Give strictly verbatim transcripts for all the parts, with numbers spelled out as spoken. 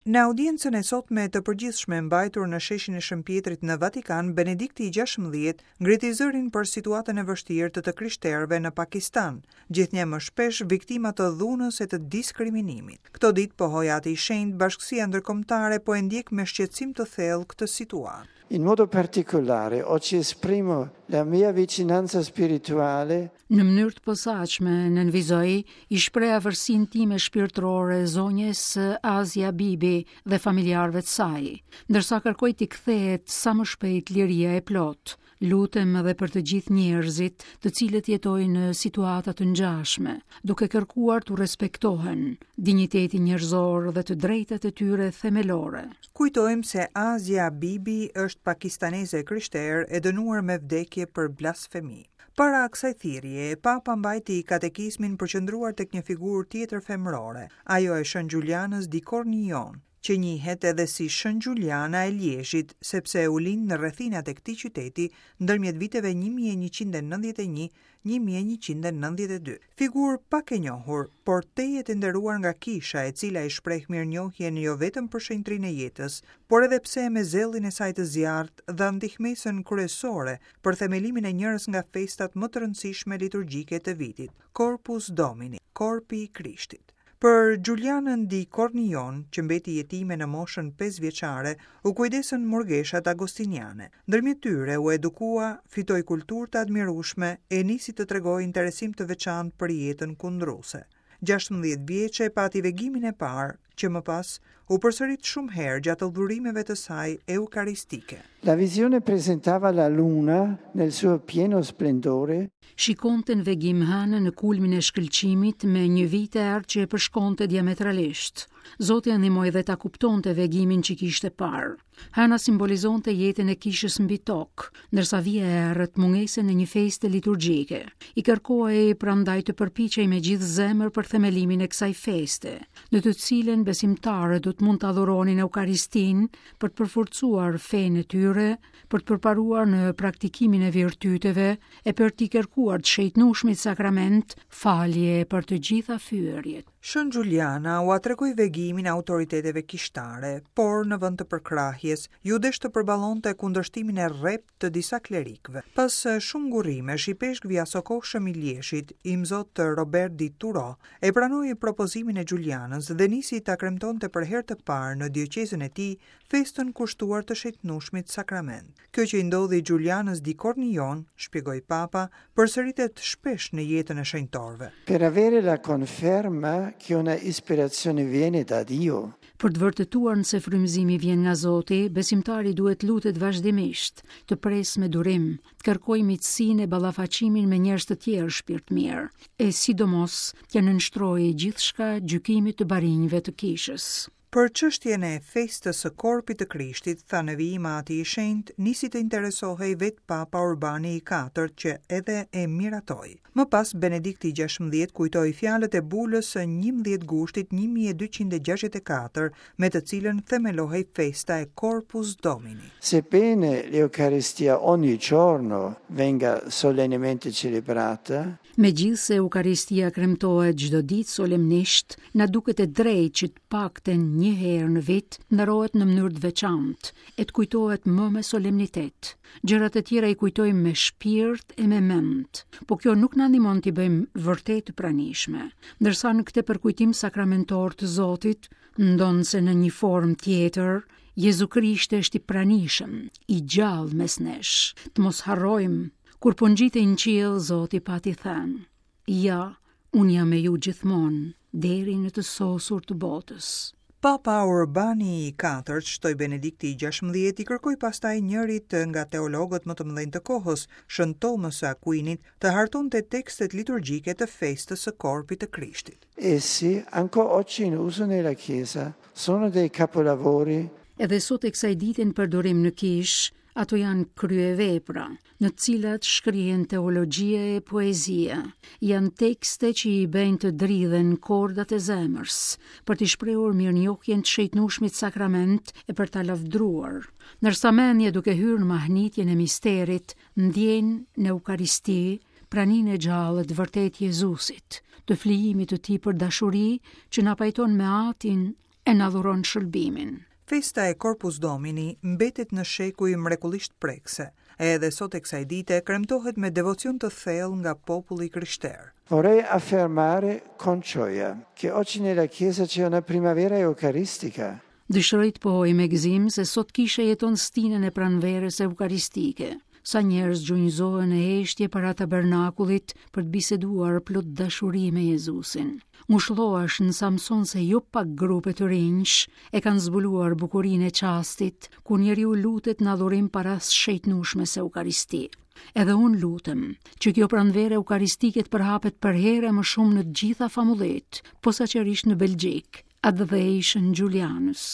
Në audiencën e sotme të përgjithshme mbajtur në sheshin e Shën Pietrit në Vatikan, Benedikti i gjashtëmbëdhjetë ngriti zërin për situatën e vështirë të të krishterëve në Pakistan, gjithnjë më shpesh viktima të dhunës e të diskriminimit. Këto ditë, pohoi Ati i Shenjtë, bashkësia ndërkombëtare po e ndjek me shqetësim të thellë këtë situatë. In modo particolare, oggi esprimo la mia vicinanza spirituale. Në mënyrë të posaçme, nënvizoi, i shpreh afërsinë time shpirtërore zonjës Asia Bibi dhe familjarëve të saj, ndërsa kërkoj t'i kthehet sa më shpejt liria e plotë. Lutem edhe për të gjithë njerëzit, të cilët jetojnë në situata të ngjashme, duke kërkuar t'u respektohen dinjiteti njerëzor dhe të drejtat e tyre themelore. Kujtojmë se Asia Bibi është pakistaneze e krishterë e dënuar me vdekje për blasfemi. Para kësaj thirrje, Papa mbajti katekizmin përqendruar tek një figurë tjetër femërore, ajo e Shën Giulianës di Cornillon, që njihet edhe si Shën Giuliana e Liezhit, sepse u lind në rrethinat e këtij qyteti ndërmjet viteve një mijë e njëqind e nëntëdhjetë e një, një mijë e njëqind e nëntëdhjetë e dy. Figurë pak e njohur, por tejet e nderuar nga kisha, e cila i shpreh mirënjohjen jo vetëm për shenjtrinë e jetës, por edhe pse me zellin e saj të zjarrt dha ndihmesën kryesore për themelimin e njërës nga festat më të rëndësishme liturgjike të vitit, Corpus Domini, Korpi i Krishtit. Për Giulianën di Cornillon, që mbeti jetime në moshën pesë vjeçare, u kujdesën murgeshat agostiniane. Ndërmjet tyre u edukua, fitoi kulturë të admirueshme e nisi të tregojë interesim të veçantë për jetën kundruse. Gjashtëmbëdhjetë vjeçe pati vegimin e parë, që më pas u përsërit shumë herë gjatë adhurimeve të saj eukaristike. La visione presentava la luna nel suo pieno splendore. Shikonte në vegim hënën në kulmin e shkëlqimit me një vijë të errët që e përshkonte diametralisht. Zoti e ndihmoi dhe ta kuptonte vegimin që kishte parë. Hëna simbolizonte jetën e kishës mbi tokë, ndërsa vija e errët mungesën e një feste liturgjike. I kërkohej prandaj të përpiqej me gjithë zemër për themelimin e kësaj feste, në të cilën besimtarët do të mund të adhuronin Eukaristin për të përforcuar fenë e tyre, për të përparuar në praktikimin e virtyteve e për t'i kërkuar të shejtnueshmit sakrament falje për të gjitha fyerjet. Shën Giuliana ua tregoi vegimin autoriteteve kishtare, por në vend të përkrahjes, ju desh të përballonte kundërshtimin e rreptë të disa klerikëve. Pas shumë ngurrimesh, i peshkvi asokohshëm i Lieshit, imzot Robert di Turo, e pranoi propozimin e Giulianës dhe nisi ta kremtonte për herë të parë në dioqezën e tij festën kushtuar të shejtnueshmit sakrament. Kjo që i ndodhi Giulianës di Cornillon, shpjegoi Papa, përsëritet shpesh në jetën e shenjtorëve. Per avere la conferma che una ispirazione viene da Dio. Për të vërtetuar nëse frymëzimi vjen nga Zoti, besimtari duhet lutet vazhdimisht, të presë me durim, të kërkojë miqësinë e ballafaqimin me njerëz të tjerë shpirtmirë, e sidomos t'ia nënshtrojë gjithçka gjykimit të barinjve të kishës. Për çështjen e festës së Korpit të Krishtit, tha në vijim Ati i Shenjtë, nisi të interesohej vetë Papa Urbani i katërt që edhe e miratoi. Më pas Benedikti i gjashtëmbëdhjetë kujtoi fjalët e bulës së njëmbëdhjetë gushtit një mijë e dyqind e gjashtëdhjetë e katër, me të cilën themelohej festa e Corpus Domini. Sebbene l'Eucaristia ogni giorno venga solennemente celebrata, Megjithse Eukaristia kremtohet çdo ditë solemnisht, na duket e drejtë që të paktën një herë në vit nderohet në mënyrë të veçantë e të kujtohet më me solemnitet. Gjërat e tjera i kujtojmë me shpirt e me mend, po kjo nuk na ndihmon t'i bëjmë vërtet të pranishme. Ndërsa në këtë përkujtim sakramentor të Zotit, ndonse në një formë tjetër, Jezu Krishti është i pranishëm, i gjallë mes nesh. Të mos harrojmë, kur po ngjitej në qiell, Zoti pati thënë: Ja, unë jam me ju gjithmonë, deri në të sosur të botës. Papa Urbani i katërt, shtoi Benedikti i gjashtëmbëdhjetë, i kërkoi pastaj njërit nga teologët më të mëdhenj të kohës, Shën Tomës së Aquinit, të hartonte tekstet liturgjike të festës së Korpit të Krishtit. Essi, ancora oggi in uso nella Chiesa, sono dei capolavori. Edhe sot e kësaj dite në përdorim në kishë, ato janë kryevepra, në të cilat shkrihen teologjia e poezia. Janë tekste që i bëjnë të dridhen kordat e zemrës, për t'i shprehur mirënjohjen të shejtnueshmit sakrament e për ta lavdruar. Ndërsa mendja duke hyrë në mahnitjen e misterit, ndjen në Eukaristi praninë e gjallë të vërtet Jezusit, të flijimit të tij për dashuri që na pajton me Atin e na dhuron shëlbimin. Festa e Corpus Domini mbetet në shekuj mrekullisht prekëse, edhe sot e kësaj dite kremtohet me devocion të thellë nga populli i krishterë. Vorrei affermare con gioia che oggi nella Chiesa c'è una primavera eucaristica. Dëshiroj të pohoj me gëzim se sot kisha jeton stinën e pranverës eukaristike. Sa njerëz gjunjëzohen në heshtje para tabernakullit për të biseduar plot dashuri me Jezusin. Ngushëllohesh në Samson se jo pak grupe të rinjsh e kanë zbuluar bukurinë e çastit kur njeriu lutet në adhurim para së shenjtnueshmes Eukaristi. Edhe unë lutem që kjo pranverë eukaristike të përhapet përherë më shumë në të gjitha famullitë, posaçërisht në Belgjikë, atdhe i Shën Xhulianës.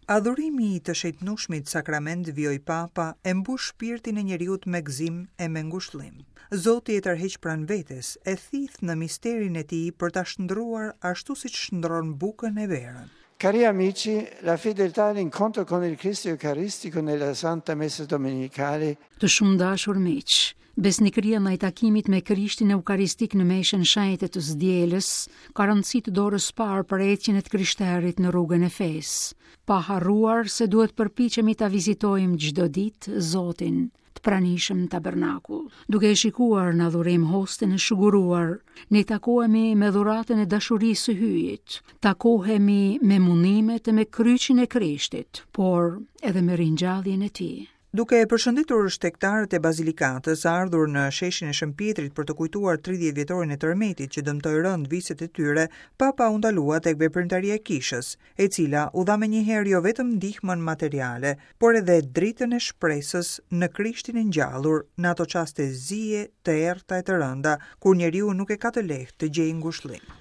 Adhurimi i të shenjtnueshmit sakrament, vijoi Papa, e mbush shpirtin e njeriut me gëzim e me ngushëllim. Zoti e tërheq pranë vetes, e thith në misterin e tij për ta shndruar ashtu siç shndron bukën e verën. Cari amici, la fedeltà all'incontro con il Cristo Eucaristico nella Santa Messa Domenicale Të shumë dashur miq, besnikëria ndaj takimit me Krishtin Eukaristik në meshën shenjte të së dielës ka rëndësi të dorës parë për ecjen e të krishterit në rrugën e fesë, pa harruar se duhet përpiqemi ta vizitojmë çdo ditë Zotin, të pranishëm në tabernakull. Duke e shikuar në adhurim hostin e shuguruar, ne takohemi me dhuratën e dashurisë së Hyjit, takohemi me mundimet e me kryqin e Krishtit, por edhe me ringjalljen e tij. Duke e përshëndetur shtegtarët e Bazilikatës ardhur në sheshin e Shën Pietrit për të kujtuar tridhjetë vjetorin e tërmetit që dëmtoi rënd viset e tyre, Papa u ndalua tek veprimtaria e kishës, e cila u dha menjëherë jo vetëm ndihmën materiale, por edhe dritën e shpresës në Krishtin e ngjallur në ato çaste zie, të errta e të rënda, kur njeriu nuk e ka të lehtë të gjejë ngushëllim.